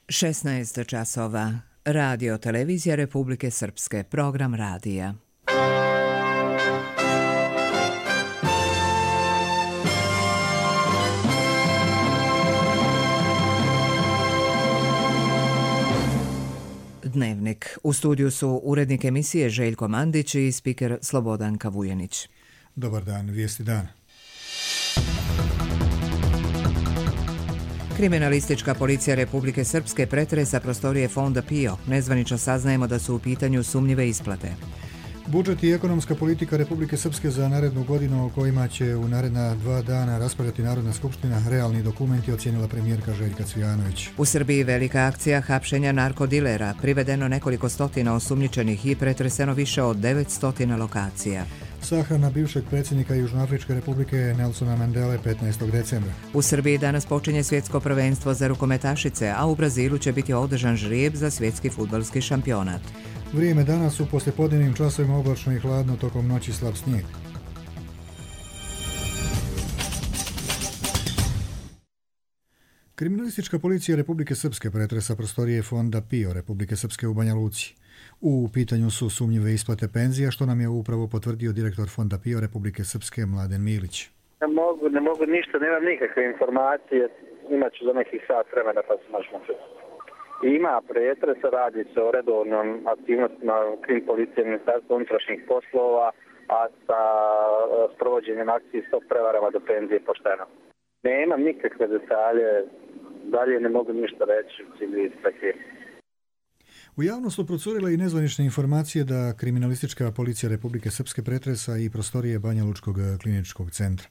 16 časova. Radio Televizija Republike Srpske. Program radija. Dnevnik. U studiju su urednik emisije Željko Mandić i spiker Slobodanka Vujanić. Dobar dan, vijesti dana. Kriminalistička policija Republike Srpske pretresa prostorije Fonda PIO. Nezvanično saznajemo da su u pitanju sumnjive isplate. Budžet i ekonomska politika Republike Srpske za narednu godinu o kojima će u naredna 2 dana raspravljati Narodna skupština, realni dokumenti, ocijenila premijerka Željka Cvijanović. U Srbiji velika akcija hapšenja narkodilera, privedeno nekoliko stotina osumnjičenih i pretreseno više od 900 lokacija. Sahrana bivšeg predsjednika Južnoafričke republike Nelsona Mandele 15. decembra. U Srbiji danas počinje svjetsko prvenstvo za rukometašice, a u Brazilu će biti održan žrijeb za svjetski fudbalski šampionat. Vrijeme danas u poslijepodnevnim časovima oblačno i hladno, tokom noći slab snijeg. Kriminalistička policija Republike Srpske pretresa prostorije Fonda PIO Republike Srpske u Banja Luci. U pitanju su sumnjive isplate penzija, što nam je upravo potvrdio direktor Fonda PIO Republike Srpske Mladen Milić. Ne mogu ništa, nemam nikakve informacije, imat ću za nekih sat vremena pa se možemo čuti. Ima pretresa, radi se o redovnom aktivnostima krim policije Ministarstva unutrašnjih poslova, a sa sprovođenjem akcije stop prevarama do penzije pošteno. Nemam nikakve detalje, dalje ne mogu ništa reći u cilju istrage. U javnost su procurile i nezvanične informacije da kriminalistička policija Republike Srpske pretresa i prostorije Banja Lučkog kliničkog centra.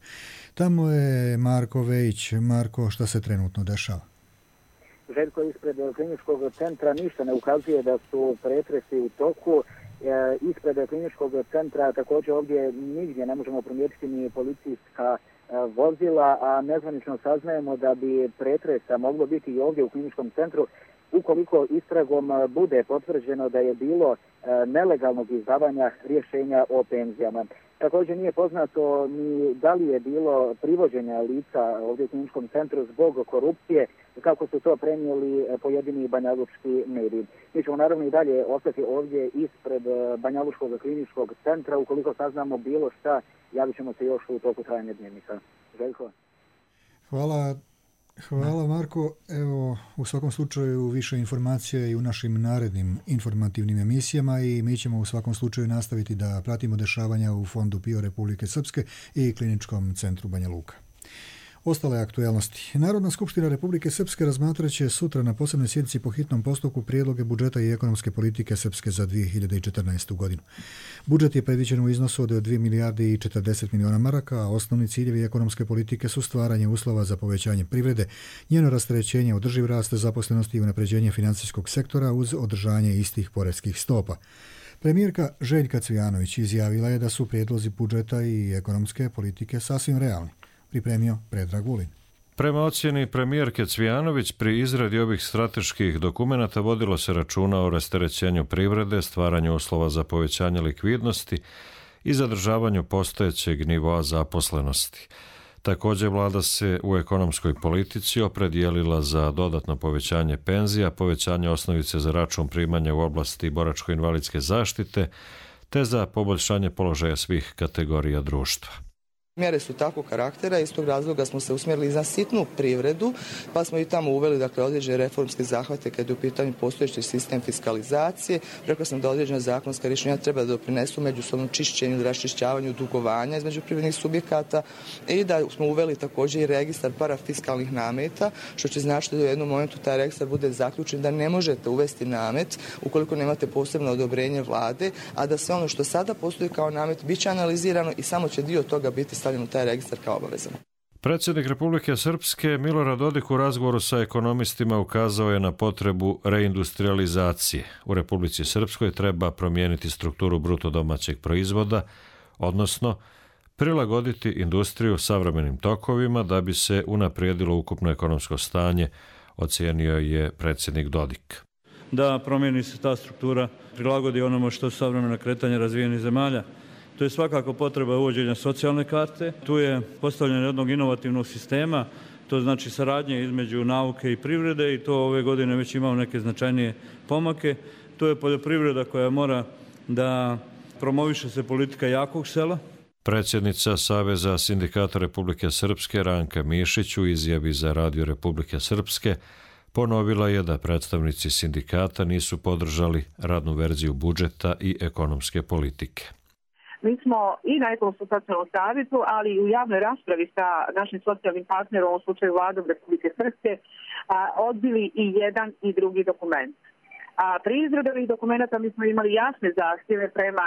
Tamo je Marko Vejić. Marko, šta se trenutno dešava? Željko, ispred kliničkog centra ništa ne ukazuje da su pretresi u toku. Ispred kliničkog centra također ovdje nigdje ne možemo primijetiti ni policijska vozila, a nezvanično saznajemo da bi pretresa moglo biti i ovdje u kliničkom centru ukoliko istragom bude potvrđeno da je bilo nelegalnog izdavanja rješenja o penzijama. Također nije poznato ni da li je bilo privođenja lica ovdje u kliničkom centru zbog korupcije, kako su to prenijeli pojedini banjalučki mediji. Mi ćemo naravno i dalje ostati ovdje ispred Banjalučkog kliničkog centra. Ukoliko saznamo bilo šta, javit ćemo se još u toku trajanja dnevnika. Željko? Hvala Marko. Evo, u svakom slučaju više informacija i u našim narednim informativnim emisijama i mi ćemo u svakom slučaju nastaviti da pratimo dešavanja u Fondu PIO Republike Srpske i Kliničkom centru Banja Luka. Ostale aktuelnosti. Narodna skupština Republike Srpske razmatrat će sutra na posebnoj sjednici po hitnom postupku prijedloge budžeta i ekonomske politike Srpske za 2014. godinu. Budžet je predviđen u iznosu od 2 milijarde i 40 miliona maraka, a osnovni ciljevi ekonomske politike su stvaranje uslova za povećanje privrede, njeno rasterećenje, održiv rast zaposlenosti i unapređenje financijskog sektora uz održanje istih poreskih stopa. Premijerka Željka Cvijanović izjavila je da su prijedlozi budžeta i ekonomske politike sasvim realni. Pripremio Predrag Vulin. Prema ocjeni premijerke Cvijanović, pri izradi ovih strateških dokumenata vodilo se računa o rasterećenju privrede, stvaranju uslova za povećanje likvidnosti i zadržavanju postojećeg nivoa zaposlenosti. Također vlada se u ekonomskoj politici opredijelila za dodatno povećanje penzija, povećanje osnovice za račun primanja u oblasti boračko-invalidske zaštite, te za poboljšanje položaja svih kategorija društva. Mjere su takvog karaktera, iz tog razloga smo se usmjerili za sitnu privredu, pa smo i tamo uveli određene reformske zahvate kad je u pitanju postojeći sistem fiskalizacije. Rekao sam da određena zakonska rješenja treba da doprinesu međusobnom čišćenju, raščišćavanju dugovanja između privrednih subjekata i da smo uveli također i registar parafiskalnih nameta, što će značiti da u jednom momentu taj registar bude zaključen da ne možete uvesti namet ukoliko nemate posebno odobrenje vlade, a da sve ono što sada postoji kao namet bit će analizirano i samo će dio toga biti stavljeno u taj registar kao obavezan. Predsjednik Republike Srpske Milorad Dodik u razgovoru sa ekonomistima ukazao je na potrebu reindustrializacije. U Republici Srpskoj treba promijeniti strukturu bruto domaćeg proizvoda, odnosno prilagoditi industriju savremenim tokovima da bi se unaprijedilo ukupno ekonomsko stanje, ocijenio je predsjednik Dodik. Da promijeni se ta struktura, prilagodi onome što su savremena kretanja razvijenih zemalja To je svakako potreba uvođenja socijalne karte, tu je postavljanje jednog inovativnog sistema, to znači saradnje između nauke i privrede i to ove godine već imamo neke značajnije pomake. To je poljoprivreda koja mora da promoviše se politika jakog sela. Predsjednica Saveza sindikata Republike Srpske Ranka Mišić u izjavi za Radio Republike Srpske ponovila je da predstavnici sindikata nisu podržali radnu verziju budžeta i ekonomske politike. Mi smo i na Ekonomskom socijalnom savjetu, ali i u javnoj raspravi sa našim socijalnim partnerom, u ovom slučaju Vladom Republike Srpske, odbili i jedan i drugi dokument. Pri izradi ovih dokumenta mi smo imali jasne zahtjeve prema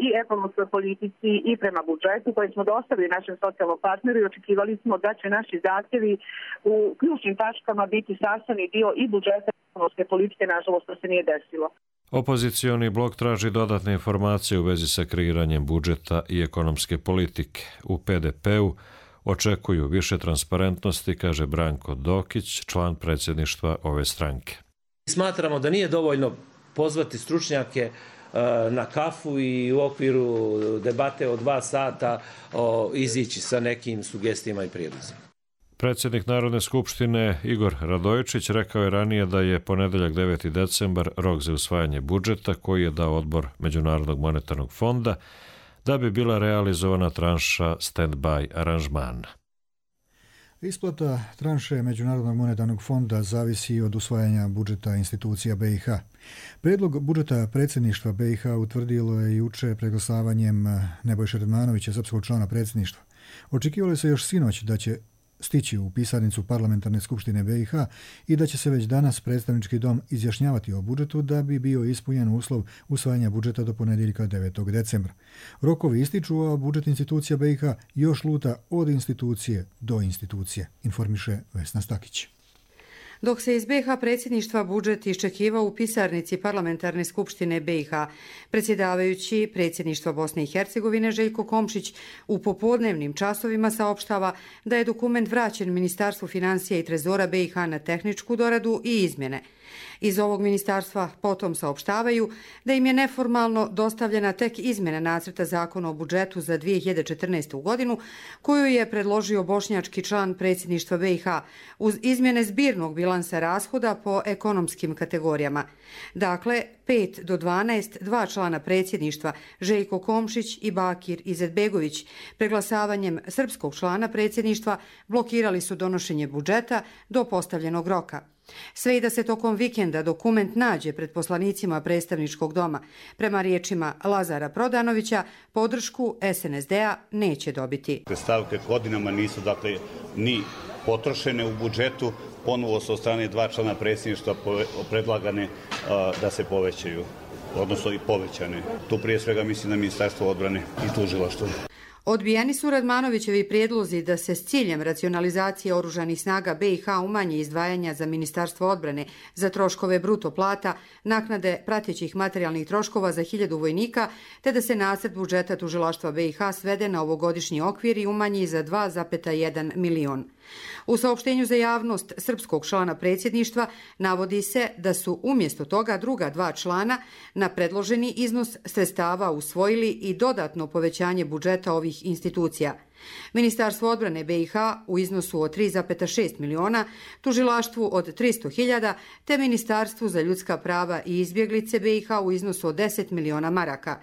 i ekonomskoj politici i prema budžetu koje smo dostavili našem socijalnom partneru i očekivali smo da će naši zahtjevi u ključnim tačkama biti sastavni dio i budžeta i ekonomske politike, nažalost to se nije desilo. Opozicioni blok traži dodatne informacije u vezi sa kreiranjem budžeta i ekonomske politike. U PDP-u očekuju više transparentnosti, kaže Branko Dokić, član predsjedništva ove stranke. Smatramo da nije dovoljno pozvati stručnjake na kafu i u okviru debate od 2 sata izići sa nekim sugestijama i prijedlozima. Predsjednik Narodne skupštine Igor Radojičić rekao je ranije da je ponedeljak 9. decembar rok za usvajanje budžeta koji je dao odbor Međunarodnog monetarnog fonda da bi bila realizovana tranša stand-by aranžmana. Isplata tranše Međunarodnog monetarnog fonda zavisi od usvajanja budžeta institucija BiH. Predlog budžeta predsjedništva BiH utvrdilo je jučer preglasavanjem Nebojše Radmanovića, srpskog člana predsjedništva. Očekivalo se još sinoć da će stići u pisarnicu Parlamentarne skupštine BiH i da će se već danas predstavnički dom izjašnjavati o budžetu da bi bio ispunjen uslov usvajanja budžeta do ponedjeljka 9. decembra. Rokovi ističu, a budžet institucija BiH još luta od institucije do institucije, informiše Vesna Stakić. Dok se iz BiH predsjedništva budžet iščekivao u pisarnici Parlamentarne skupštine BiH, predsjedavajući predsjedništva Bosne i Hercegovine Željko Komšić u popodnevnim časovima saopštava da je dokument vraćen Ministarstvu financija i trezora BiH na tehničku doradu i izmjene. Iz ovog ministarstva potom saopštavaju da im je neformalno dostavljena tek izmjena nacrta zakona o budžetu za 2014. godinu koju je predložio bošnjački član predsjedništva BiH uz izmjene zbirnog bilansa rashoda po ekonomskim kategorijama. Dakle, 5 do 12, 2 člana predsjedništva, Željko Komšić i Bakir Izetbegović, preglasavanjem srpskog člana predsjedništva blokirali su donošenje budžeta do postavljenog roka. Sve i da se tokom vikenda dokument nađe pred poslanicima predstavničkog doma, prema riječima Lazara Prodanovića, podršku SNSD-a neće dobiti. Te stavke godinama nisu ni potrošene u budžetu, ponovo su od strane 2 člana predsjedništva predlagane da se povećaju, odnosno i povećane. Tu prije svega mislim na Ministarstvo odbrane i tužilaštvo. Odbijeni su Radmanovićevi prijedlozi da se s ciljem racionalizacije oružanih snaga BiH umanje izdvajanja za Ministarstvo odbrane za troškove bruto plata, naknade pratećih materijalnih troškova za 1000 vojnika, te da se nacrt budžeta tužilaštva BiH svede na ovogodišnji okvir i umanji za 2,1 milion. U saopštenju za javnost srpskog člana predsjedništva navodi se da su umjesto toga druga 2 člana na predloženi iznos sredstava usvojili i dodatno povećanje budžeta ovih institucija. Ministarstvo odbrane BiH u iznosu od 3,6 miliona, tužilaštvu od 300.000, te Ministarstvu za ljudska prava i izbjeglice BiH u iznosu od 10 miliona maraka.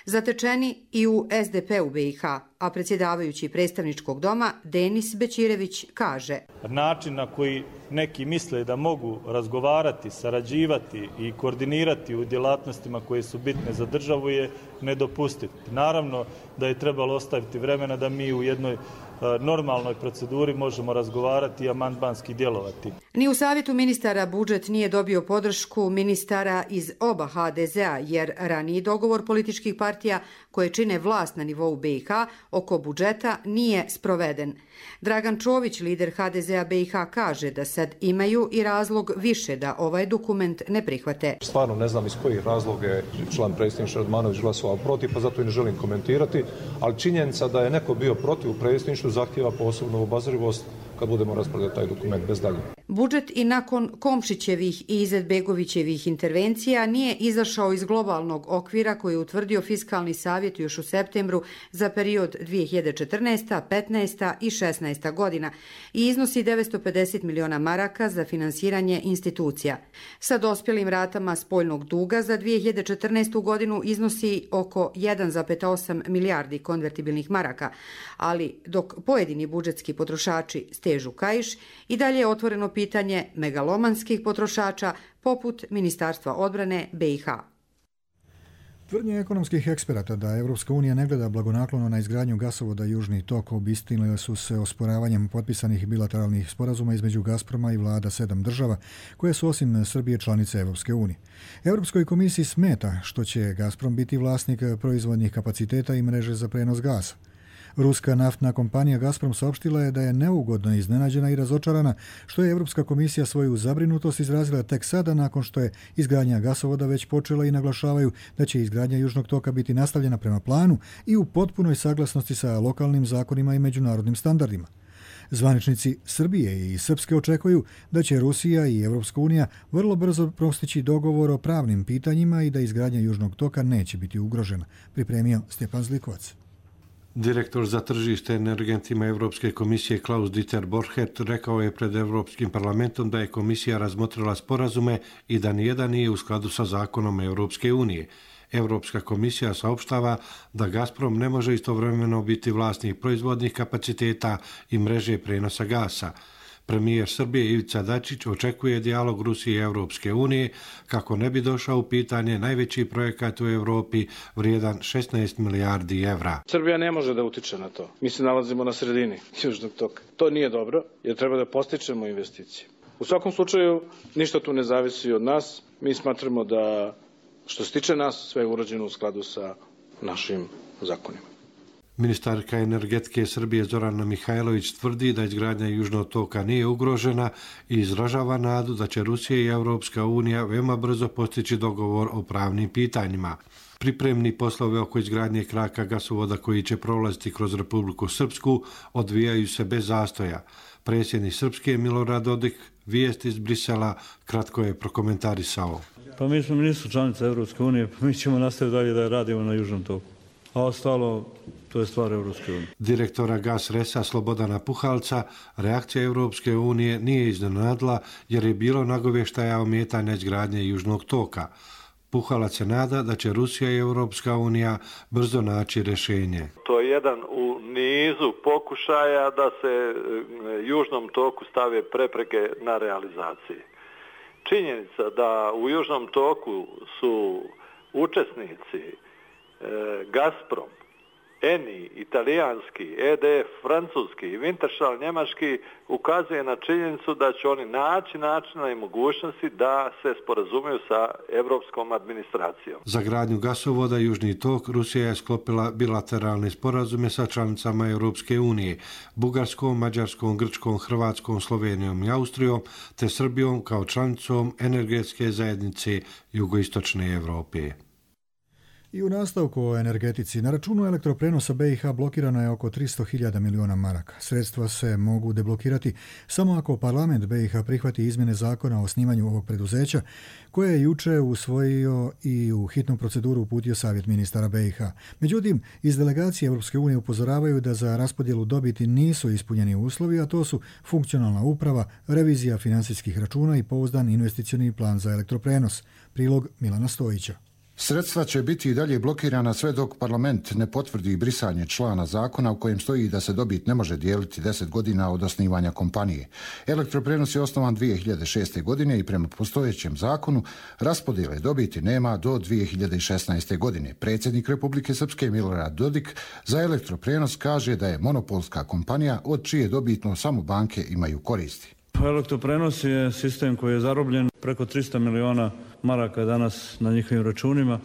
Zatečeni i u SDP-u BiH, a predsjedavajući predstavničkog doma Denis Bećirević kaže: način na koji neki misle da mogu razgovarati, sarađivati i koordinirati u djelatnostima koje su bitne za državu je nedopustiv. Naravno da je trebalo ostaviti vremena da mi u jednoj normalnoj proceduri možemo razgovarati i amandmanski djelovati. Ni u savjetu ministara budžet nije dobio podršku ministara iz oba HDZ-a, jer raniji dogovor političkih partija koje čine vlast na nivou BiH oko budžeta nije sproveden. Dragan Čović, lider HDZ-a BiH, kaže da sad imaju i razlog više da ovaj dokument ne prihvate. Stvarno ne znam iz kojih razloga je član predsjedništva Radmanović glasovao protiv, pa zato i ne želim komentirati, ali činjenica da je neko bio protiv u predsjedništvu zahtjeva posebnu obazrivost kad budemo raspravljati taj dokument bez dalje. Budžet i nakon Komšićevih i Izetbegovićevih intervencija nije izašao iz globalnog okvira koji je utvrdio Fiskalni savjet još u septembru za period 2014., 15. i 16. godina i iznosi 950 miliona maraka za finansiranje institucija. Sa dospjelim ratama spoljnog duga za 2014. godinu iznosi oko 1,8 milijardi konvertibilnih maraka, ali dok pojedini budžetski potrošači stežu kaiš, i dalje je otvoreno pitanje megalomanskih potrošača poput Ministarstva odbrane BiH. Tvrdnje ekonomskih eksperata da Evropska unija ne gleda blagonaklono na izgradnju gasovoda Južni tok obistinile su se osporavanjem potpisanih bilateralnih sporazuma između Gazproma i vlada 7 država koje su osim Srbije članice Evropske unije. Europskoj komisiji smeta što će Gazprom biti vlasnik proizvodnih kapaciteta i mreže za prenos gasa. Ruska naftna kompanija Gazprom saopštila je da je neugodno iznenađena i razočarana što je Europska komisija svoju zabrinutost izrazila tek sada nakon što je izgradnja gasovoda već počela i naglašavaju da će izgradnja Južnog toka biti nastavljena prema planu i u potpunoj saglasnosti sa lokalnim zakonima i međunarodnim standardima. Zvaničnici Srbije i Srpske očekuju da će Rusija i Evropska unija vrlo brzo postići dogovor o pravnim pitanjima i da izgradnja Južnog toka neće biti ugrožena, pripremio Stjepan Zlikovac. Direktor za tržište energentima Europske komisije Klaus Dieter Borchert rekao je pred Europskim parlamentom da je komisija razmotrila sporazume i da nijedan nije u skladu sa zakonom Europske unije. Europska komisija saopštava da Gazprom ne može istovremeno biti vlasnik proizvodnih kapaciteta i mreže prenosa gasa. Premijer Srbije Ivica Dačić očekuje dijalog Rusije i Europske unije kako ne bi došao u pitanje najveći projekat u Europi vrijedan 16 milijardi evra. Srbija ne može da utiče na to. Mi se nalazimo na sredini Južnog toka. To nije dobro jer treba da postičemo investicije. U svakom slučaju ništa tu ne zavisi od nas. Mi smatramo da što se tiče nas sve je urađeno u skladu sa našim zakonima. Ministarka energetike Srbije Zorana Mihajlović tvrdi da izgradnja Južnog toka nije ugrožena i izražava nadu da će Rusija i Europska unija veoma brzo postići dogovor o pravnim pitanjima. Pripremni poslove oko izgradnje kraka gasovoda koji će prolaziti kroz Republiku Srpsku odvijaju se bez zastoja. Predsjednik Srpske Milorad Dodik vijest iz Brisela kratko je prokomentarisao. Pa mi smo nisu članice Evropske unije, pa mi ćemo nastaviti dalje da radimo na Južnom toku. A ostalo, to je stvar Evropske unije. Direktora GasResa Slobodana Puhalca reakcija Evropske unije nije iznenadila jer je bilo nagovještaja ometanja izgradnje Južnog toka. Puhalac se nada da će Rusija i Evropska unija brzo naći rješenje. To je jedan u nizu pokušaja da se Južnom toku stave prepreke na realizaciji. Činjenica da u Južnom toku su učesnici Gazprom, Eni, italijanski, EDF, francuski i Wintershall, njemački, ukazuje na činjenicu da će oni naći načina i mogućnosti da se sporazumiju sa evropskom administracijom. Za gradnju gasovoda Južni tok Rusija je sklopila bilateralne sporazume sa članicama Europske unije, Bugarskom, Mađarskom, Grčkom, Hrvatskom, Slovenijom i Austrijom, te Srbijom kao članicom energetske zajednice Jugoistočne Evrope. I u nastavku o energetici, na računu elektroprenosa BiH blokirano je oko 300.000 miliona maraka. Sredstva se mogu deblokirati samo ako parlament BiH prihvati izmjene zakona o osnivanju ovog preduzeća, koje je juče usvojio i u hitnu proceduru uputio Savjet ministara BiH. Međutim, iz delegacije Europske unije upozoravaju da za raspodjelu dobiti nisu ispunjeni uslovi, a to su funkcionalna uprava, revizija financijskih računa i pouzdan investicioni plan za elektroprenos. Prilog Milana Stojića. Sredstva će biti i dalje blokirana sve dok parlament ne potvrdi brisanje člana zakona u kojem stoji da se dobit ne može dijeliti 10 godina od osnivanja kompanije. Elektroprenos je osnovan 2006. godine i prema postojećem zakonu raspodjele dobiti nema do 2016. godine. Predsjednik Republike Srpske Milorad Dodik za elektroprenos kaže da je monopolska kompanija od čije dobitno samo banke imaju koristi. Elektroprenos je sistem koji je zarobljen preko 300 miliona maraka danas na njihovim računima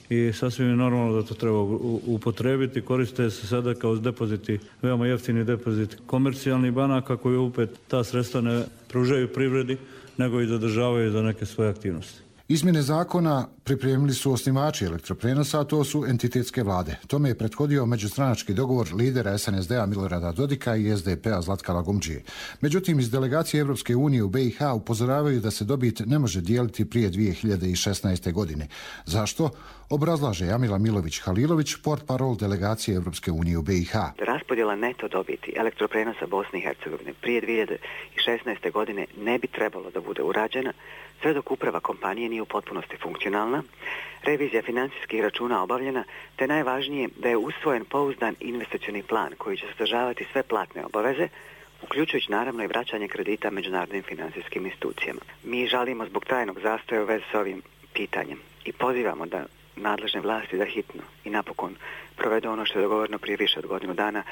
i sasvim je normalno da to treba upotrebiti. Koriste se sada kao depoziti, veoma jeftini depozit komercijalnih banaka koji opet ta sredstva ne pružaju privredi nego i zadržavaju za neke svoje aktivnosti. Izmjene zakona pripremili su osnivači elektroprenosa, a to su entitetske vlade. Tome je prethodio međustranački dogovor lidera SNSD-a Milorada Dodika i SDP-a Zlatka Lagumdžije. Međutim, iz delegacije Europske unije u BiH upozoravaju da se dobit ne može dijeliti prije 2016. godine. Zašto? Obrazlaže Jamila Milović-Halilović, portparol delegacije Europske unije u BiH. Raspodjela neto dobiti elektroprenosa Bosne i Hercegovine prije 2016. godine ne bi trebalo da bude urađena sve dok uprava kompanije nije u potpunosti funkcionalna, revizija financijskih računa obavljena, te najvažnije da je usvojen pouzdan investicioni plan koji će sadržavati sve platne obaveze, uključujući naravno i vraćanje kredita međunarodnim financijskim institucijama. Mi žalimo zbog trajnog zastoja u vezi s ovim pitanjem i pozivamo da nadležne vlasti da hitno i napokon provedu ono što je dogovoreno prije više od godinu dana.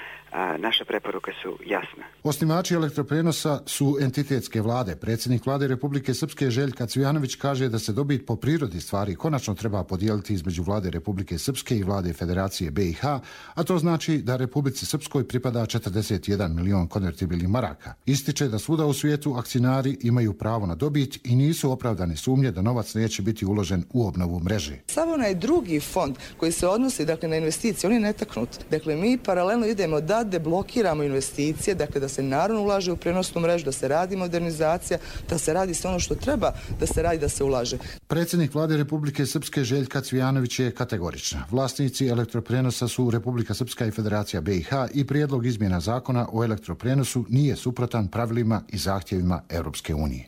Naše preporuke su jasne. Osnivači elektroprenosa su entitetske vlade. Predsjednik vlade Republike Srpske Željka Cvijanović kaže da se dobit po prirodi stvari konačno treba podijeliti između vlade Republike Srpske i vlade Federacije BiH, a to znači da Republici Srpskoj pripada 41 milion konvertibilnih maraka. Ističe da svuda u svijetu akcionari imaju pravo na dobit i nisu opravdane sumnje da novac neće biti uložen u obnovu mreže. Samo onaj drugi fond koji se odnosi na investicije, on je netaknut. Dakle, mi paralelno idemo da deblokiramo investicije, dakle da se naravno ulaže u prenosnu mrežu, da se radi modernizacija, da se radi sve ono što treba da se radi, da se ulaže. Predsjednik vlade Republike Srpske Željka Cvijanović je kategorična. Vlasnici elektroprenosa su Republika Srpska i Federacija BiH i prijedlog izmjena zakona o elektroprenosu nije suprotan pravilima i zahtjevima Europske unije.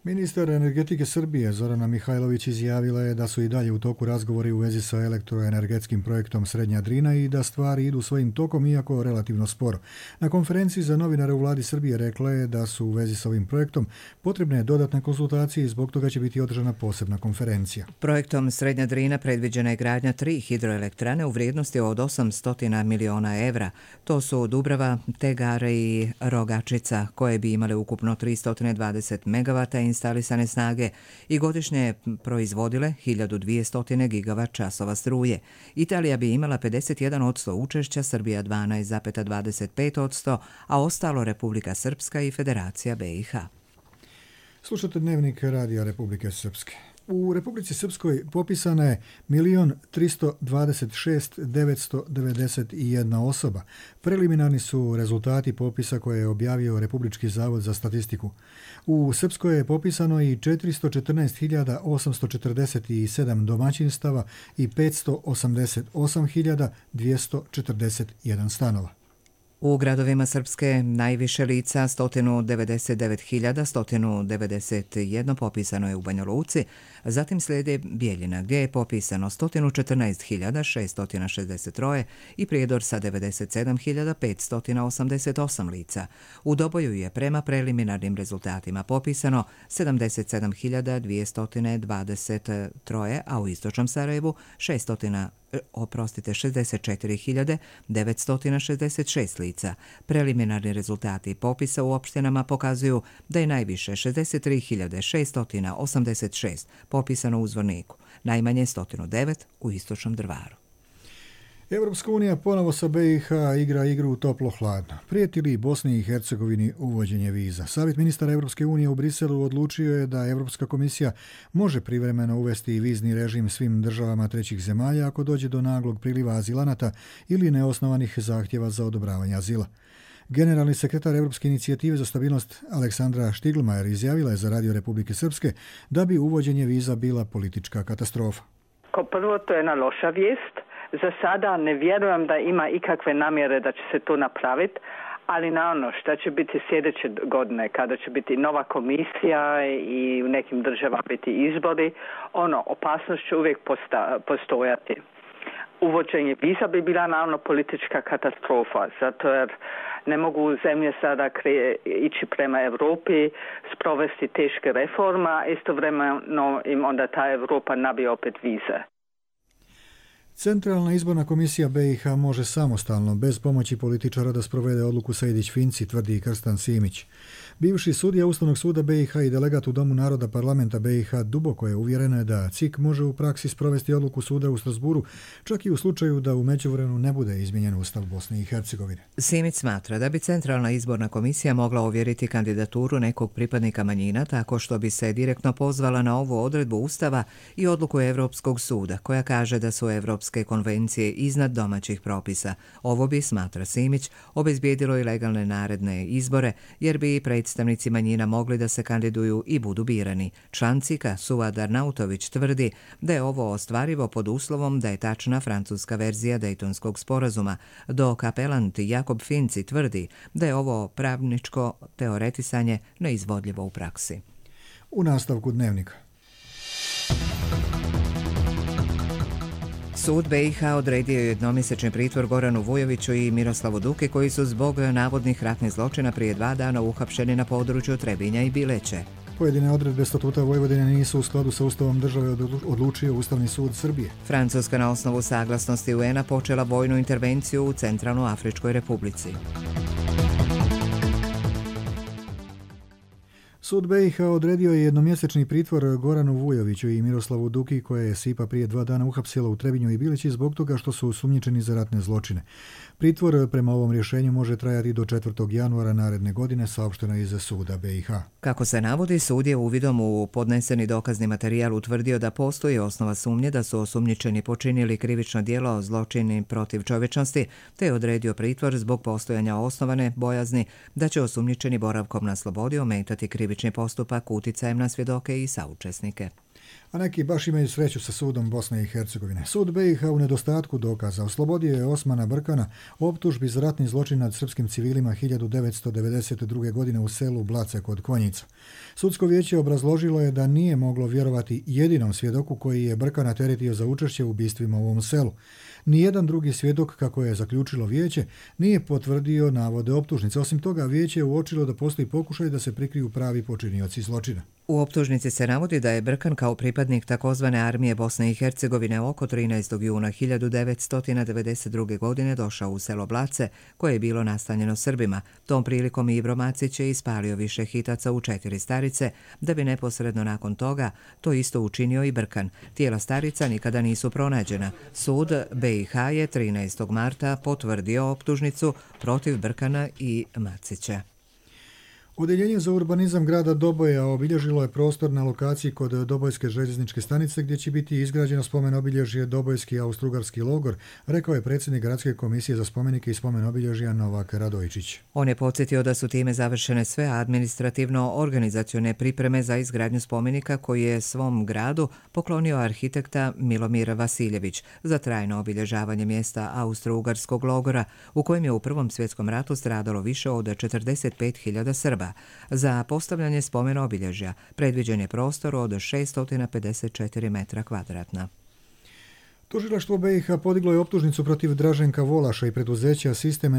Ministar energetike Srbije Zorana Mihajlović izjavila je da su i dalje u toku razgovori u vezi sa elektroenergetskim projektom Srednja Drina i da stvari idu svojim tokom, iako relativno sporo. Na konferenciji za novinare u vladi Srbije rekla je da su u vezi sa ovim projektom potrebne dodatne konsultacije i zbog toga će biti održana posebna konferencija. Projektom Srednja Drina predviđena je gradnja 3 hidroelektrane u vrijednosti od 800 miliona evra. To su Dubrava, Tegare i Rogačica, koje bi imale ukupno 320 megavata instalisane snage i godišnje proizvodile 1200 gigavat časova struje. Italija bi imala 51% učešća, Srbija 12,25%, a ostalo Republika Srpska i Federacija BiH. Slušate Dnevnik Radija Republike Srpske. U Republici Srpskoj popisana je 1.326.991 osoba. Preliminarni su rezultati popisa koje je objavio Republički zavod za statistiku. U Srpskoj je popisano i 414.847 domaćinstava i 588.241 stanova. U gradovima Srpske najviše lica, 199.191 popisano je u Banja Luci, zatim slijede Bijeljina gdje je popisano 114.663 i Prijedor sa 97.588 lica. U Doboju je prema preliminarnim rezultatima popisano 77.223, a u Istočnom Sarajevu 64.966 lica. Preliminarni rezultati popisa u opštinama pokazuju da je najviše 63.686 popisano u Zvorniku, najmanje 109 u Istočnom Drvaru. Europska unija ponovo sa BiH igra igru toplo-hladno. Prijeti li Bosni i Hercegovini uvođenje viza? Savjet ministara Europske unije u Briselu odlučio je da Europska komisija može privremeno uvesti vizni režim svim državama trećih zemalja ako dođe do naglog priliva azilanata ili neosnovanih zahtjeva za odobravanje azila. Generalni sekretar Europske inicijative za stabilnost Aleksandra Štiglmajer izjavila je za Radio Republike Srpske da bi uvođenje viza bila politička katastrofa. Kao prvo, to je jedna loša vijest. Za sada ne vjerujem da ima ikakve namjere da će se to napraviti, ali naravno šta će biti sljedeće godine kada će biti nova komisija i u nekim državama biti izbori, opasnost će uvijek postojati. Uvođenje viza bi bila naravno politička katastrofa, zato jer ne mogu zemlje sada ići prema Europi, sprovesti teške reforma, istovremeno im onda ta Europa nabije opet vize. Centralna izborna komisija BiH može samostalno, bez pomoći političara, da sprovede odluku Sejdić-Finci, tvrdi Krstan Simić. Bivši sudija Ustavnog suda BiH i delegat u Domu naroda parlamenta BiH duboko je uvjerena da CIK može u praksi sprovesti odluku suda u Strasburu, čak i u slučaju da u međuvremenu ne bude izmijenjen Ustav Bosne i Hercegovine. Simić smatra da bi Centralna izborna komisija mogla ovjeriti kandidaturu nekog pripadnika manjina tako što bi se direktno pozvala na ovu odredbu Ustava i odluku Europskog suda, koja kaže da su evropske konvencije iznad domaćih propisa. Ovo bi, smatra Simić, obezbijedilo i legalne naredne izbore, jer bi predstavnici manjina mogli da se kandiduju i budu birani. Član CIK-a Suad Arnautović tvrdi da je ovo ostvarivo pod uslovom da je tačna francuska verzija Dejtonskog sporazuma, dok apelant Jakob Finci tvrdi da je ovo pravničko teoretisanje neizvodljivo u praksi. U nastavku dnevnika. Sud BiH odredio je jednomjesečni pritvor Goranu Vujoviću i Miroslavu Duki, koji su zbog navodnih ratnih zločina prije 2 dana uhapšeni na području Trebinja i Bileće. Pojedine odredbe statuta Vojvodine nisu u skladu sa Ustavom države, odlučio Ustavni sud Srbije. Francuska na osnovu saglasnosti UN-a počela vojnu intervenciju u Centralnoafričkoj republici. Sud BiH odredio je jednomjesečni pritvor Goranu Vujoviću i Miroslavu Duki, koje je SIPA prije 2 dana uhapsila u Trebinju i Bileći zbog toga što su osumnjičeni za ratne zločine. Pritvor prema ovom rješenju može trajati do 4. januara naredne godine, saopšteno iz suda BiH. Kako se navodi, sud je uvidom u podneseni dokazni materijal utvrdio da postoji osnova sumnje da su osumnjičeni počinili krivično djelo zločini protiv čovječnosti, te je odredio pritvor zbog postojanja osnovane bojazni da će osumnjičeni boravkom na slobodi ometati krivični postupak uticajem na svjedoke i saučesnike. A neki baš imaju sreću sa sudom Bosne i Hercegovine. Sud BiH u nedostatku dokaza oslobodio je Osmana Brkana optužbi za ratni zločin nad srpskim civilima 1992. godine u selu Blace kod Konjica. Sudsko vijeće obrazložilo je da nije moglo vjerovati jedinom svjedoku koji je Brkana teretio za učešće u ubistvima u ovom selu. Nijedan drugi svjedok, kako je zaključilo vijeće, nije potvrdio navode optužnice. Osim toga, vijeće je uočilo da postoji pokušaj da se prikriju pravi počinioci zločina. U optužnici se navodi da je Brkan kao pripadnik takozvane armije Bosne i Hercegovine oko 13. juna 1992. godine došao u selo Blace, koje je bilo nastanjeno Srbima. Tom prilikom Ibro Macić je ispalio više hitaca u 4 starice, da bi neposredno nakon toga to isto učinio i Brkan. Tijela starica nikada nisu pronađena. Sud BiH je 13. marta potvrdio optužnicu protiv Brkana i Macića. Odeljenje za urbanizam grada Doboja obilježilo je prostor na lokaciji kod Dobojske željezničke stanice gdje će biti izgrađeno spomen obilježje Dobojski austrougarski logor, rekao je predsjednik Gradske komisije za spomenike i spomen obilježja Novak Radojčić. On je podsjetio da su time završene sve administrativno-organizacione pripreme za izgradnju spomenika koji je svom gradu poklonio arhitekta Milomir Vasiljević za trajno obilježavanje mjesta austrougarskog logora u kojem je u Prvom svjetskom ratu stradalo više od 45.000 Srba. Za postavljanje spomena obilježja predviđen je prostor od 654 metra kvadratna. Tužilaštvo BiH podiglo je optužnicu protiv Draženka Volaša i preduzeća Sistem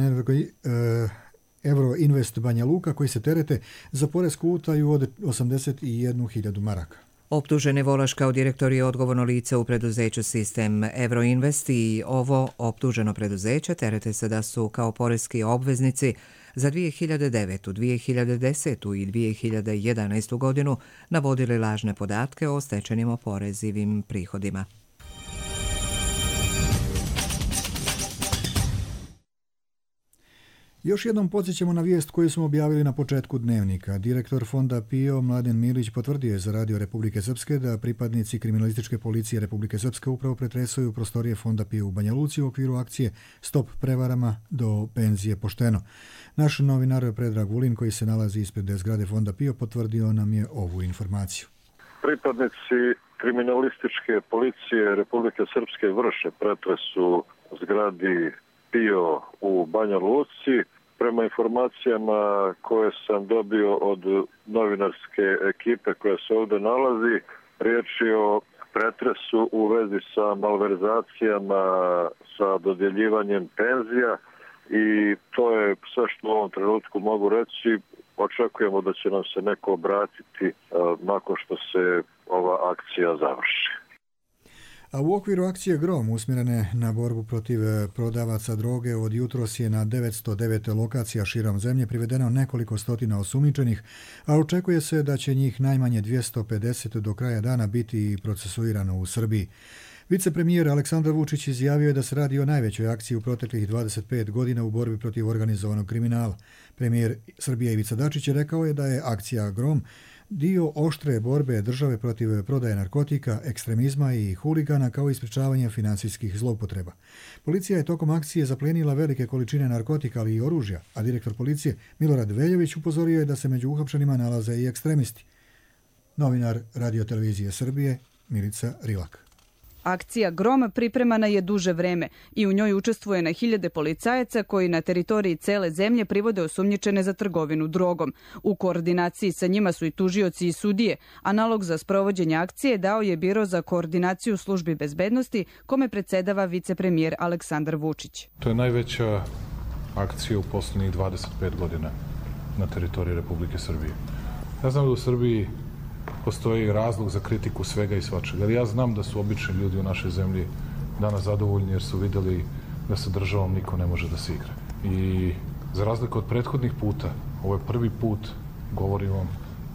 Euroinvest Banja Luka, koji se terete za poresku utaju od 81.000 maraka. Optuženi Volaš kao direktor je odgovorno lice u preduzeću Sistem Euroinvest i ovo optuženo preduzeće terete se da su kao poreski obveznici za 2009., 2010. i 2011. godinu navodili lažne podatke o stečenim oporezivim prihodima. Još jednom podsjećamo na vijest koju smo objavili na početku dnevnika. Direktor fonda PIO Mladen Milić potvrdio je za Radio Republike Srpske da pripadnici kriminalističke policije Republike Srpske upravo pretresuju prostorije fonda PIO u Banja Luci u okviru akcije Stop prevarama do penzije pošteno. Naš novinar Predrag Vulin, koji se nalazi ispred zgrade fonda PIO, potvrdio nam je ovu informaciju. Pripadnici kriminalističke policije Republike Srpske vrše pretres u zgradi PIO u Banja Luci. Prema informacijama koje sam dobio od novinarske ekipe koja se ovdje nalazi, riječ je o pretresu u vezi sa malverzacijama, sa dodjeljivanjem penzija i to je sve što u ovom trenutku mogu reći. Očekujemo da će nam se neko obratiti nakon što se ova akcija završi. A u okviru akcije Grom usmjerene na borbu protiv prodavaca droge od jutros je na 909 lokacija širom zemlje privedeno nekoliko stotina osumnjičenih, a očekuje se da će njih najmanje 250 do kraja dana biti procesuirano u Srbiji. Vicepremijer Aleksandar Vučić izjavio je da se radi o najvećoj akciji u proteklih 25 godina u borbi protiv organizovanog kriminala. Premijer Srbije Ivica Dačić je rekao je da je akcija Grom dio oštre borbe države protiv prodaje narkotika, ekstremizma i huligana kao i sprečavanja financijskih zloupotreba. Policija je tokom akcije zaplijenila velike količine narkotika, ali i oružja, a direktor policije Milorad Veljović upozorio je da se među uhapšenima nalaze i ekstremisti. Novinar Radio-televizije Srbije Milica Rilak. Akcija Grom pripremana je duže vreme i u njoj učestvuje na hiljade policajaca koji na teritoriji cele zemlje privode osumnjičene za trgovinu drogom. U koordinaciji sa njima su i tužioci i sudije, a nalog za sprovođenje akcije dao je Biro za koordinaciju službi bezbednosti, kome predsedava vicepremijer Aleksandar Vučić. To je najveća akcija u posljednjih 25 godina na teritoriji Republike Srbije. Ja znam da u Srbiji postoji razlog za kritiku svega i svačega. Ali ja znam da su obični ljudi u našoj zemlji danas zadovoljni jer su vidjeli da sa državom niko ne može da se igra. I za razliku od prethodnih puta, ovo je prvi put, govorim vam,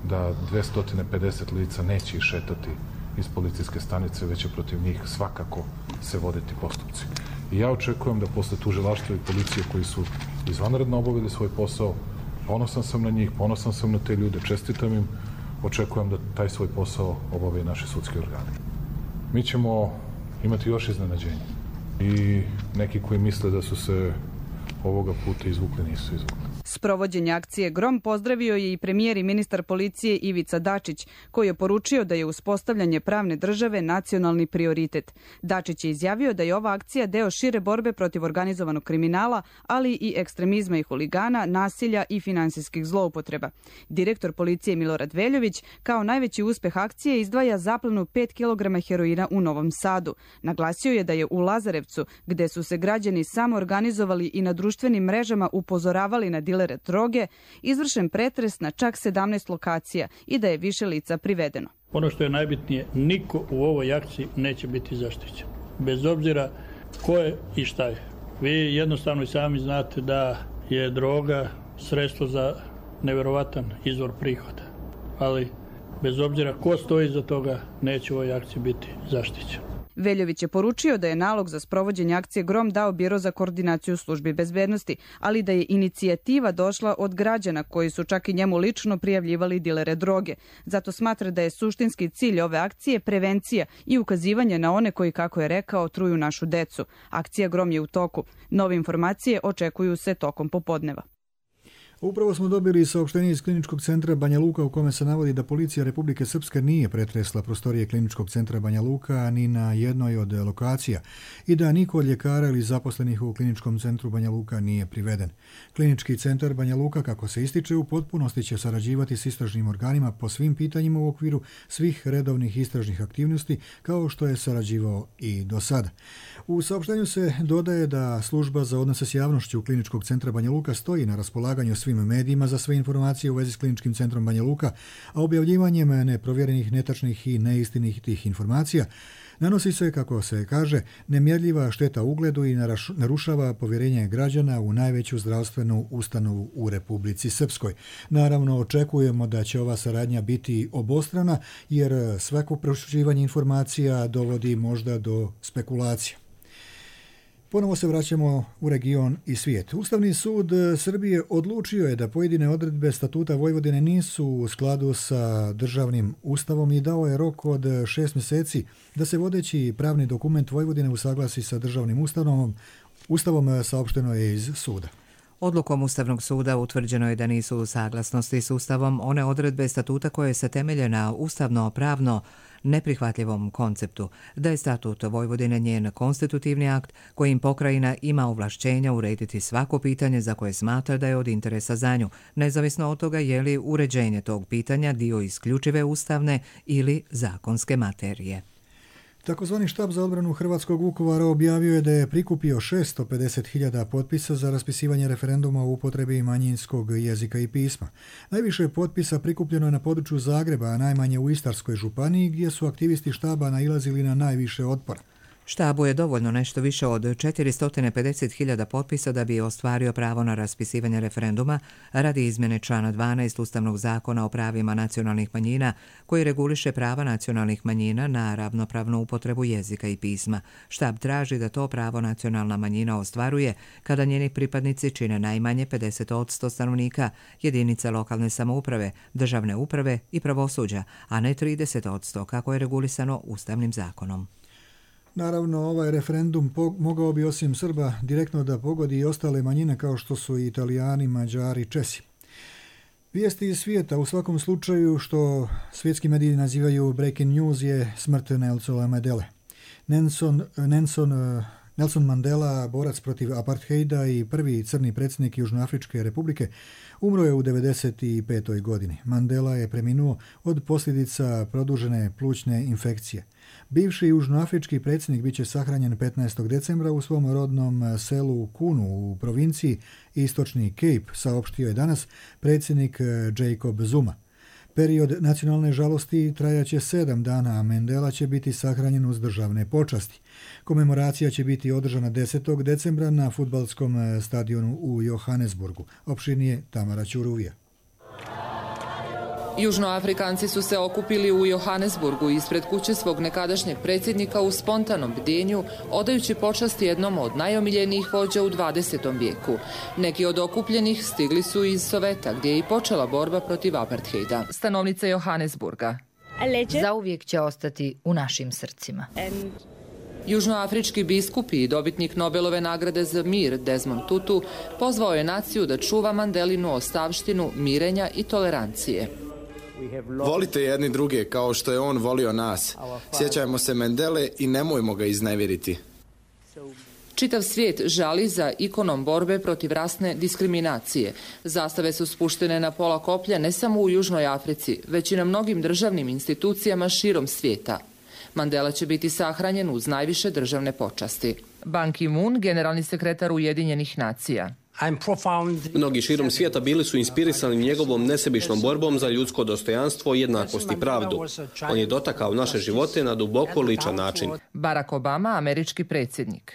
da 250 lica neće išetati iz policijske stanice, već će protiv njih svakako se voditi postupci. I ja očekujem da posle tužilaštva i policije koji su izvanredno obavili svoj posao, ponosan sam na njih, ponosan sam na te ljude, čestitam im, očekujem da taj svoj posao obave naši sudski organi. Mi ćemo imati još iznenađenja i neki koji misle da su se ovoga puta izvukli, nisu izvukli. Sprovođenje akcije Grom pozdravio je i premijer i ministar policije Ivica Dačić, koji je poručio da je uspostavljanje pravne države nacionalni prioritet. Dačić je izjavio da je ova akcija deo šire borbe protiv organizovanog kriminala, ali i ekstremizma i huligana, nasilja i finansijskih zloupotreba. Direktor policije Milorad Veljović kao najveći uspeh akcije izdvaja zaplenu 5 kg heroina u Novom Sadu. Naglasio je da je u Lazarevcu, gde su se građani samo organizovali i na društvenim mrežama upozoravali na dilere droge, izvršen pretres na čak 17 lokacija i da je više lica privedeno. Ono što je najbitnije, niko u ovoj akciji neće biti zaštićen. Bez obzira ko je i šta je. Vi jednostavno i sami znate da je droga sredstvo za neverovatan izvor prihoda. Ali bez obzira ko stoji iza toga, neće u ovoj akciji biti zaštićen. Veljović je poručio da je nalog za sprovođenje akcije Grom dao Biro za koordinaciju službi bezbednosti, ali da je inicijativa došla od građana koji su čak i njemu lično prijavljivali dilere droge. Zato smatra da je suštinski cilj ove akcije prevencija i ukazivanje na one koji, kako je rekao, truju našu decu. Akcija Grom je u toku. Nove informacije očekuju se tokom popodneva. Upravo smo dobili saopštenje iz Kliničkog centra Banja Luka u kome se navodi da policija Republike Srpske nije pretresla prostorije Kliničkog centra Banja Luka ni na jednoj od lokacija i da niko od ljekara ili zaposlenih u Kliničkom centru Banja Luka nije priveden. Klinički centar Banja Luka, kako se ističe, u potpunosti će sarađivati s istražnim organima po svim pitanjima u okviru svih redovnih istražnih aktivnosti, kao što je sarađivao i do sada. U saopštenju se dodaje da služba za odnose s javnošću Kliničkog centra Banja Luka stoji na raspolaganju svim medijima za sve informacije u vezi s Kliničkim centrom Banja Luka, a objavljivanjem neprovjerenih, netačnih i neistinitih informacija nanosi se, kako se kaže, nemjerljiva šteta ugledu i narušava povjerenje građana u najveću zdravstvenu ustanovu u Republici Srpskoj. Naravno, očekujemo da će ova saradnja biti obostrana, jer svako proširivanje informacija dovodi možda do spekulacija. Ponovo se vraćamo u region i svijet. Ustavni sud Srbije odlučio je da pojedine odredbe Statuta Vojvodine nisu u skladu sa državnim ustavom i dao je rok od 6 mjeseci da se vodeći pravni dokument Vojvodine usaglasi sa državnim ustavom, saopšteno je iz suda. Odlukom Ustavnog suda utvrđeno je da nisu u saglasnosti s Ustavom one odredbe statuta koje se temelje na ustavno-pravno neprihvatljivom konceptu, da je Statut Vojvodine njen konstitutivni akt kojim pokrajina ima ovlašćenja urediti svako pitanje za koje smatra da je od interesa za nju, nezavisno od toga je li uređenje tog pitanja dio isključive ustavne ili zakonske materije. Takozvani štab za odbranu Hrvatskog Vukovara objavio je da je prikupio 650.000 potpisa za raspisivanje referenduma o upotrebi manjinskog jezika i pisma. Najviše potpisa prikupljeno je na području Zagreba, a najmanje u Istarskoj županiji, gdje su aktivisti štaba nailazili na najviše otpora. Štabu je dovoljno nešto više od 450.000 potpisa da bi ostvario pravo na raspisivanje referenduma radi izmjene člana 12 Ustavnog zakona o pravima nacionalnih manjina koji reguliše prava nacionalnih manjina na ravnopravnu upotrebu jezika i pisma. Štab traži da to pravo nacionalna manjina ostvaruje kada njeni pripadnici čine najmanje 50% stanovnika jedinica lokalne samouprave, državne uprave i pravosuđa, a ne 30% kako je regulisano Ustavnim zakonom. Naravno, ovaj referendum mogao bi osim Srba direktno da pogodi i ostale manjine kao što su i Italijani, Mađari, Česi. Vijesti iz svijeta, u svakom slučaju što svjetski mediji nazivaju breaking news, je smrt Nelsona Mandele. Nelson Mandela, borac protiv apartheida i prvi crni predsjednik Južnoafričke republike, umro je u 95. godini. Mandela je preminuo od posljedica produžene plućne infekcije. Bivši južnoafrički predsjednik bit će sahranjen 15. decembra u svom rodnom selu Kunu u provinciji Istočni Cape, saopštio je danas predsjednik Jacob Zuma. Period nacionalne žalosti trajaće 7 dana, a Mandela će biti sahranjen uz državne počasti. Komemoracija će biti održana 10. decembra na fudbalskom stadionu u Johannesburgu. Opširnije Tamara Ćuruvija. Južnoafrikanci su se okupili u Johannesburgu ispred kuće svog nekadašnjeg predsjednika u spontanom bdenju, odajući počast jednom od najomiljenijih vođa u 20. vijeku. Neki od okupljenih stigli su iz Soveta, gdje je i počela borba protiv apartheida. Stanovnica Johannesburga. Zauvijek će ostati u našim srcima. Južnoafrički biskup i dobitnik Nobelove nagrade za mir Desmond Tutu pozvao je naciju da čuva Mandelinu ostavštinu mirenja i tolerancije. Volite jedni druge kao što je on volio nas. Sjećajmo se Mandele i nemojmo ga iznevjeriti. Čitav svijet žali za ikonom borbe protiv rasne diskriminacije. Zastave su spuštene na pola koplja ne samo u Južnoj Africi, već i na mnogim državnim institucijama širom svijeta. Mandela će biti sahranjen uz najviše državne počasti. Ban Ki-moon, generalni sekretar Ujedinjenih nacija. Mnogi širom svijeta bili su inspirisani njegovom nesebičnom borbom za ljudsko dostojanstvo, jednakost i pravdu. On je dotakao naše živote na duboko ličan način. Barack Obama, američki predsjednik.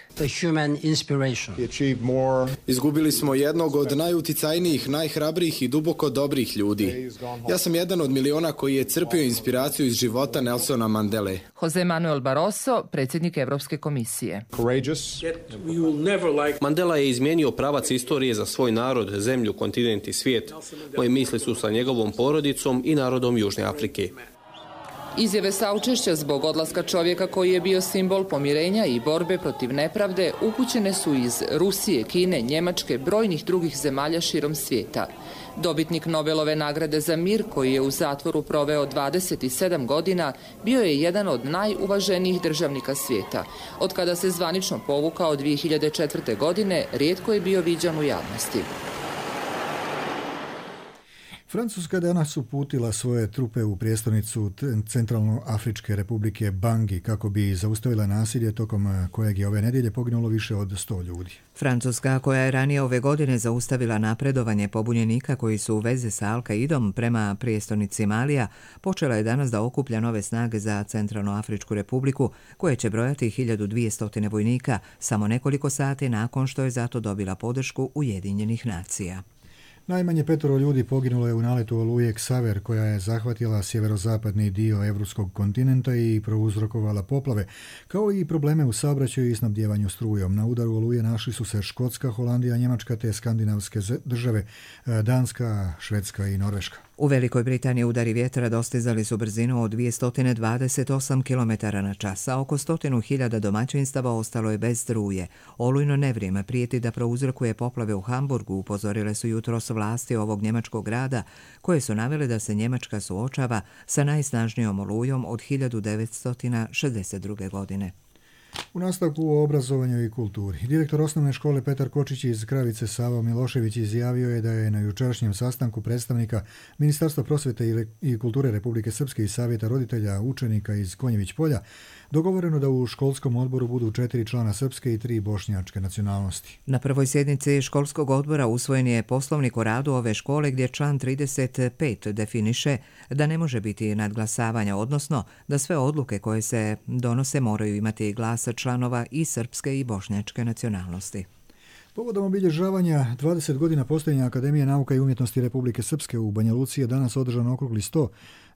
Izgubili smo jednog od najuticajnijih, najhrabrijih i duboko dobrih ljudi. Ja sam jedan od miliona koji je crpio inspiraciju iz života Nelsona Mandele. Jose Manuel Barroso, predsjednik Europske komisije. Mandela je izmijenio pravac istorije za svoj narod, zemlju, kontinent i svijet. Moje misli su sa njegovom porodicom i narodom Južne Afrike. Izjave saučešća zbog odlaska čovjeka koji je bio simbol pomirenja i borbe protiv nepravde upućene su iz Rusije, Kine, Njemačke, brojnih drugih zemalja širom svijeta. Dobitnik Nobelove nagrade za mir, koji je u zatvoru proveo 27 godina, bio je jedan od najuvaženijih državnika svijeta. Od kada se zvanično povukao 2004. godine, rijetko je bio viđan u javnosti. Francuska danas uputila svoje trupe u prijestolnicu Centralnoafričke republike Bangi kako bi zaustavila nasilje tokom kojeg je ove nedjelje poginulo više od 100 ljudi. Francuska, koja je ranije ove godine zaustavila napredovanje pobunjenika koji su u vezi sa Al-Qaidom prema prijestolnici Malija, počela je danas da okuplja nove snage za Centralnoafričku republiku, koje će brojati 1200 vojnika samo nekoliko sati nakon što je zato dobila podršku Ujedinjenih nacija. Najmanje 5 ljudi poginulo je u naletu oluje Ksaver, koja je zahvatila sjeverozapadni dio evropskog kontinenta i prouzrokovala poplave, kao i probleme u saobraćaju i snabdjevanju strujom. Na udaru oluje našli su se Škotska, Holandija, Njemačka te skandinavske države, Danska, Švedska i Norveška. U Velikoj Britaniji udari vjetra dostizali su brzinu od 228 km/h, a oko 100.000 domaćinstava ostalo je bez struje. Olujno nevrijeme prijeti da prouzrokuje poplave u Hamburgu, upozorile su jutros vlasti ovog njemačkog grada, koje su navele da se Njemačka suočava sa najsnažnijom olujom od 1962. godine. U nastavku o obrazovanju i kulturi. Direktor osnovne škole Petar Kočić iz Kravice Savo Milošević izjavio je da je na jučerašnjem sastanku predstavnika Ministarstva prosvete i kulture Republike Srpske i Savjeta roditelja učenika iz Konjević polja dogovoreno da u školskom odboru budu 4 člana srpske i 3 bošnjačke nacionalnosti. Na prvoj sjednici školskog odbora usvojen je poslovnik o radu ove škole gdje član 35 definiše da ne može biti nadglasavanja, odnosno da sve odluke koje se donose moraju imati glas članova i srpske i bošnjačke nacionalnosti. Povodom obilježavanja 20 godina postojanja Akademije nauka i umjetnosti Republike Srpske u Banja Luci je danas održan okrugli sto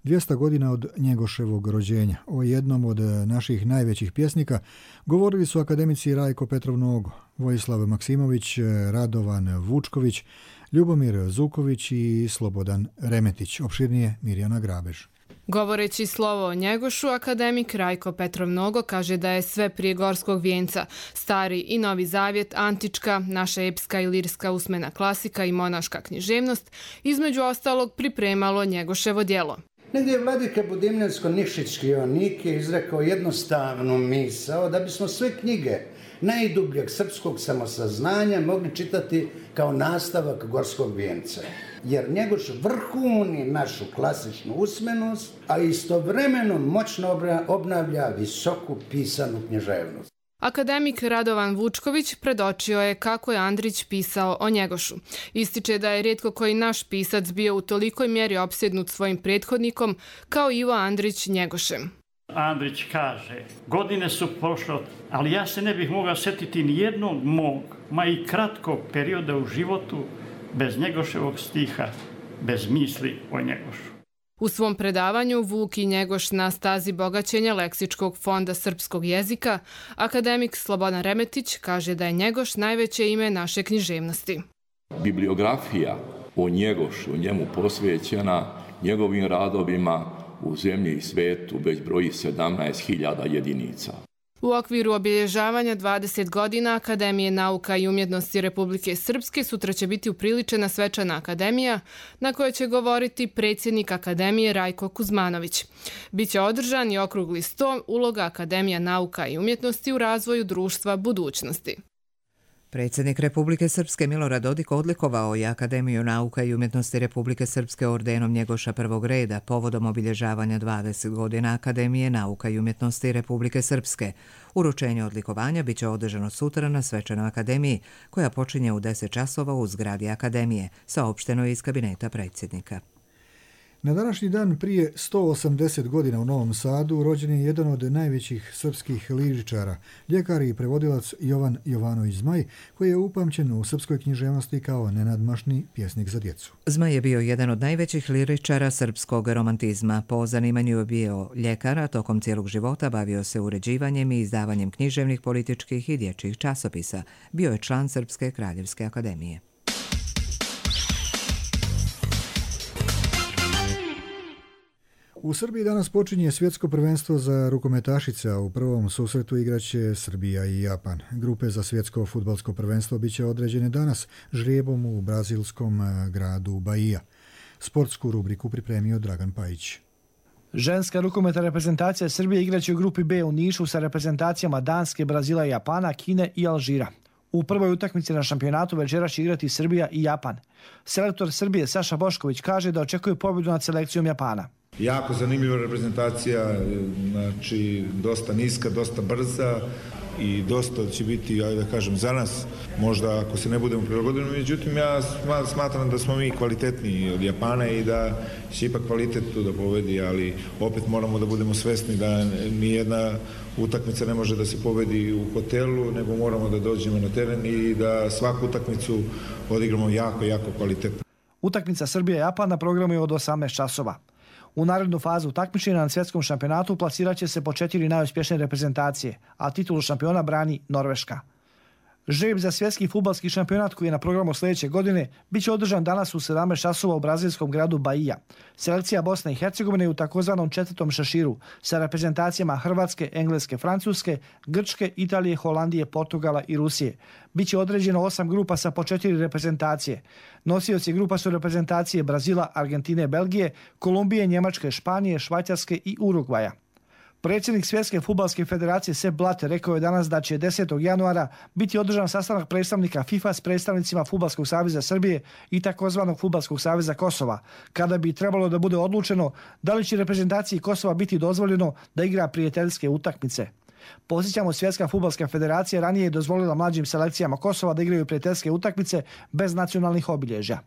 200 godina od Njegoševog rođenja. O jednom od naših najvećih pjesnika govorili su akademici Rajko Petrov Nogo, Vojislav Maksimović, Radovan Vučković, Ljubomir Zuković i Slobodan Remetić. Opširnije Mirjana Grabež. Govoreći slovo o Njegošu, akademik Rajko Petrov Nogo kaže da je sve prije Gorskog vijenca, Stari i Novi Zavjet, antička, naša epska i lirska usmena klasika i monaška književnost, između ostalog pripremalo Njegoševo djelo. Negdje je vladika Budimljansko-Nišićki Joanike izrekao jednostavnu misao da bismo sve knjige najdubljeg srpskog samosaznanja mogli čitati kao nastavak Gorskog vijenca. Jer Njegoš vrhuni našu klasičnu usmenost, a istovremeno moćno obnavlja visoku pisanu književnost. Akademik Radovan Vučković predočio je kako je Andrić pisao o Njegošu. Ističe da je rijetko koji naš pisac bio u tolikoj mjeri opsjednut svojim prethodnikom kao Ivo Andrić Njegošem. Andrić kaže, godine su prošle, ali ja se ne bih mogao sjetiti ni jednog mog, ma i kratkog perioda u životu bez Njegoševog stiha, bez misli o Njegošu. U svom predavanju Vuk i Njegoš na stazi bogaćenja Leksičkog fonda srpskog jezika, akademik Slobodan Remetić kaže da je Njegoš najveće ime naše književnosti. Bibliografija o Njegošu, njemu posvećena, njegovim radovima u zemlji i svetu već broji 17.000 jedinica. U okviru obilježavanja 20 godina Akademije nauka i umjetnosti Republike Srpske sutra će biti upriličena svečana akademija na kojoj će govoriti predsjednik Akademije Rajko Kuzmanović. Biće održan i okrugli sto uloga Akademija nauka i umjetnosti u razvoju društva budućnosti. Predsjednik Republike Srpske Milorad Dodik odlikovao je Akademiju nauka i umjetnosti Republike Srpske ordenom Njegoša prvog reda povodom obilježavanja 20 godina Akademije nauka i umjetnosti Republike Srpske. Uručenje odlikovanja biće održano sutra na svečanoj akademiji koja počinje u 10 časova u zgradi Akademije, saopšteno je iz kabineta predsjednika. Na današnji dan prije 180 godina u Novom Sadu rođen je jedan od najvećih srpskih liričara, ljekar i prevodilac Jovan Jovanović Zmaj, koji je upamćen u srpskoj književnosti kao nenadmašni pjesnik za djecu. Zmaj je bio jedan od najvećih liričara srpskog romantizma. Po zanimanju je bio ljekar, a tokom cijelog života bavio se uređivanjem i izdavanjem književnih, političkih i dječjih časopisa. Bio je član Srpske kraljevske akademije. U Srbiji danas počinje svjetsko prvenstvo za rukometašice, a u prvom susretu igraće Srbija i Japan. Grupe za svjetsko fudbalsko prvenstvo biće određene danas žrijebom u brazilskom gradu Bahia. Sportsku rubriku pripremio Dragan Pajić. Ženska rukometna reprezentacija Srbije igraće u grupi B u Nišu sa reprezentacijama Danske, Brazila i Japana, Kine i Alžira. U prvoj utakmici na šampionatu večeras će igrati Srbija i Japan. Selektor Srbije Saša Bošković kaže da očekuje pobjedu nad selekcijom Japana. Jako zanimljiva reprezentacija, znači dosta niska, dosta brza i dosta će biti, ajde da kažem, za nas, možda ako se ne budemo prilagodili, međutim ja smatram da smo mi kvalitetniji od Japana i da će ipak kvalitet tu da pobedi, ali opet moramo da budemo svesni da nijedna utakmica ne može da se pobedi u hotelu, nego moramo da dođemo na teren i da svaku utakmicu odigramo jako, jako kvalitetno. Utakmica Srbija-Japan na programu je od 18 časova. U narednu fazu takmičenja na svjetskom šampionatu plasirat će se po 4 najuspješnije reprezentacije, a titulu šampiona brani Norveška. Žreb za svjetski fudbalski šampionat koji je na programu sljedeće godine bit će održan danas u 17 časova u brazilskom gradu Bahia. Selekcija Bosne i Hercegovine je u takozvanom četvrtom šeširu sa reprezentacijama Hrvatske, Engleske, Francuske, Grčke, Italije, Holandije, Portugala i Rusije. Biće određeno 8 grupa sa po 4 reprezentacije. Nosioci grupa su reprezentacije Brazila, Argentine, Belgije, Kolumbije, Njemačke, Španije, Švajcarske i Urugvaja. Predsjednik Svjetske fudbalske federacije Sepp Blatter rekao je danas da će 10. januara biti održan sastanak predstavnika FIFA s predstavnicima Fudbalskog saveza Srbije i takozvanog Fudbalskog saveza Kosova, kada bi trebalo da bude odlučeno da li će reprezentaciji Kosova biti dozvoljeno da igra prijateljske utakmice. Podsjećamo, Svjetska fudbalska federacija ranije je dozvolila mlađim selekcijama Kosova da igraju prijateljske utakmice bez nacionalnih obilježja.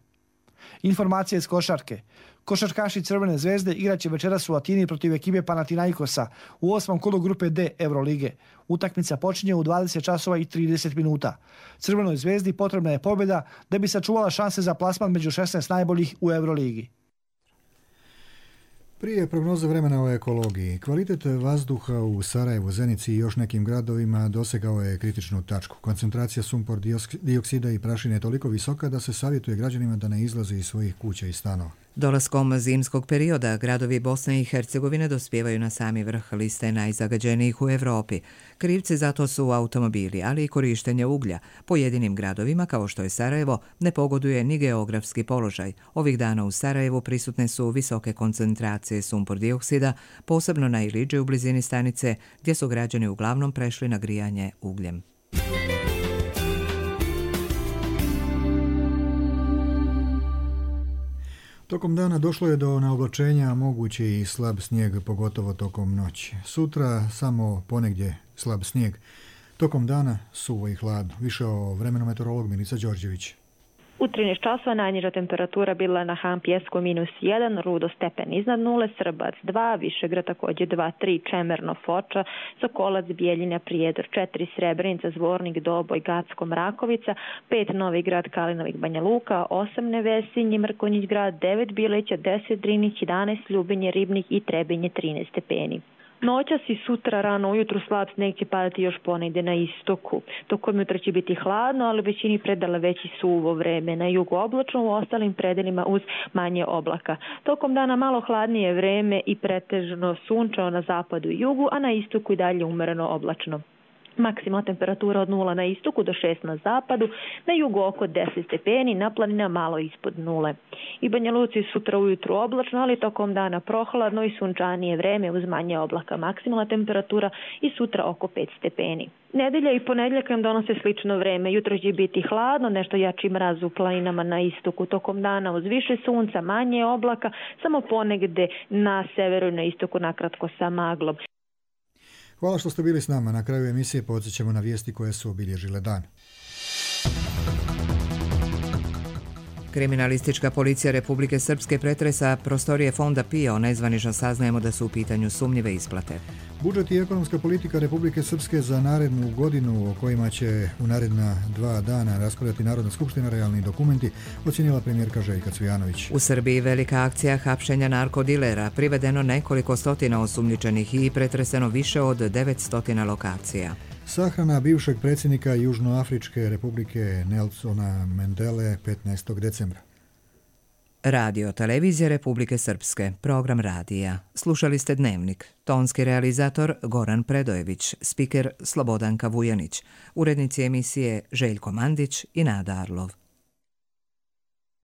Informacije iz košarke. Košarkaši Crvene zvezde igraće večeras u Atini protiv ekipe Panathinaikosa u 8. kolu grupe D Eurolige. Utakmica počinje u 20 časova i 30 minuta. Crvenoj zvezdi potrebna je pobjeda da bi sačuvala šanse za plasman među 16 najboljih u Euroligi. Prije prognoze vremena o ekologiji, kvalitet vazduha u Sarajevu, Zenici i još nekim gradovima dosegao je kritičnu tačku. Koncentracija sumpor dioksida i prašine je toliko visoka da se savjetuje građanima da ne izlaze iz svojih kuća i stanova. Dolaskom zimskog perioda gradovi Bosne i Hercegovine dospijevaju na sami vrh liste najzagađenijih u Evropi. Krivci za to su automobili, ali i korištenje uglja. Pojedinim gradovima, kao što je Sarajevo, ne pogoduje ni geografski položaj. Ovih dana u Sarajevu prisutne su visoke koncentracije sumpor dioksida, posebno na Iliđe u blizini stanice, gdje su građani uglavnom prešli na grijanje ugljem. Tokom dana došlo je do naoblačenja, moguće i slab snijeg, pogotovo tokom noći. Sutra samo ponegdje slab snijeg. Tokom dana suvo i hladno. Više o vremenu meteorolog Milica Đorđević. U 13 časova najniža temperatura bila na Han Pjesku -1, Rudo stepen iznad nule, Srbac 2, Višegrad također 2, 3, Čemerno, Foča, Sokolac, Bijeljina, Prijedor 4, Srebrenica, Zvornik, Doboj, Gacko, Mrakovica, 5, Novi Grad, Kalinovik, Banja Luka, 8, Nevesinje, Mrkonjić Grad, 9, Bileća, 10, Drinih, 11, Ljubinje, Ribnik i Trebinje 13 stepeni. Noćas i sutra rano ujutru slab snijeg će padati još ponegdje na istoku. Tokom jutra će biti hladno, ali u većini predala veći suvo vreme. Na jugu oblačno, u ostalim predelima uz manje oblaka. Tokom dana malo hladnije vreme i pretežno sunčano na zapadu i jugu, a na istoku i dalje umereno oblačno. Maksimalna temperatura od 0 na istoku do 6 na zapadu, na jugu oko 10 stepeni, na planina malo ispod nule. I Banja Luci sutra ujutru oblačno, ali tokom dana prohladno i sunčanije vreme uz manje oblaka. Maksimalna temperatura i sutra oko 5 stepeni. Nedelja i ponedjeljak nam donose slično vreme. Jutro će biti hladno, nešto jači mraz u planinama na istoku. Tokom dana uz više sunca, manje oblaka, samo ponegde na severu i na istoku nakratko sa maglom. Hvala što ste bili s nama. Na kraju emisije podsjećamo na vijesti koje su obilježile dan. Kriminalistička policija Republike Srpske pretresa prostorije fonda PIO. Nezvanično saznajemo da su u pitanju sumnjive isplate. Budžet i ekonomska politika Republike Srpske za narednu godinu, o kojima će u naredna 2 dana raspravljati Narodna skupština, realni dokumenti, ocjenila premijerka Željka Cvijanović. U Srbiji velika akcija hapšenja narkodilera, privedeno nekoliko stotina osumnjičenih i pretreseno više od 900 lokacija. Sahrana bivšeg predsjednika Južnoafričke republike Nelsona Mandele 15. decembra. Radio televizija Republike Srpske, program radija. Slušali ste Dnevnik. Tonski realizator Goran Predojević, spiker Slobodanka Vujanić, urednici emisije Željko Mandić i Nada Arlov.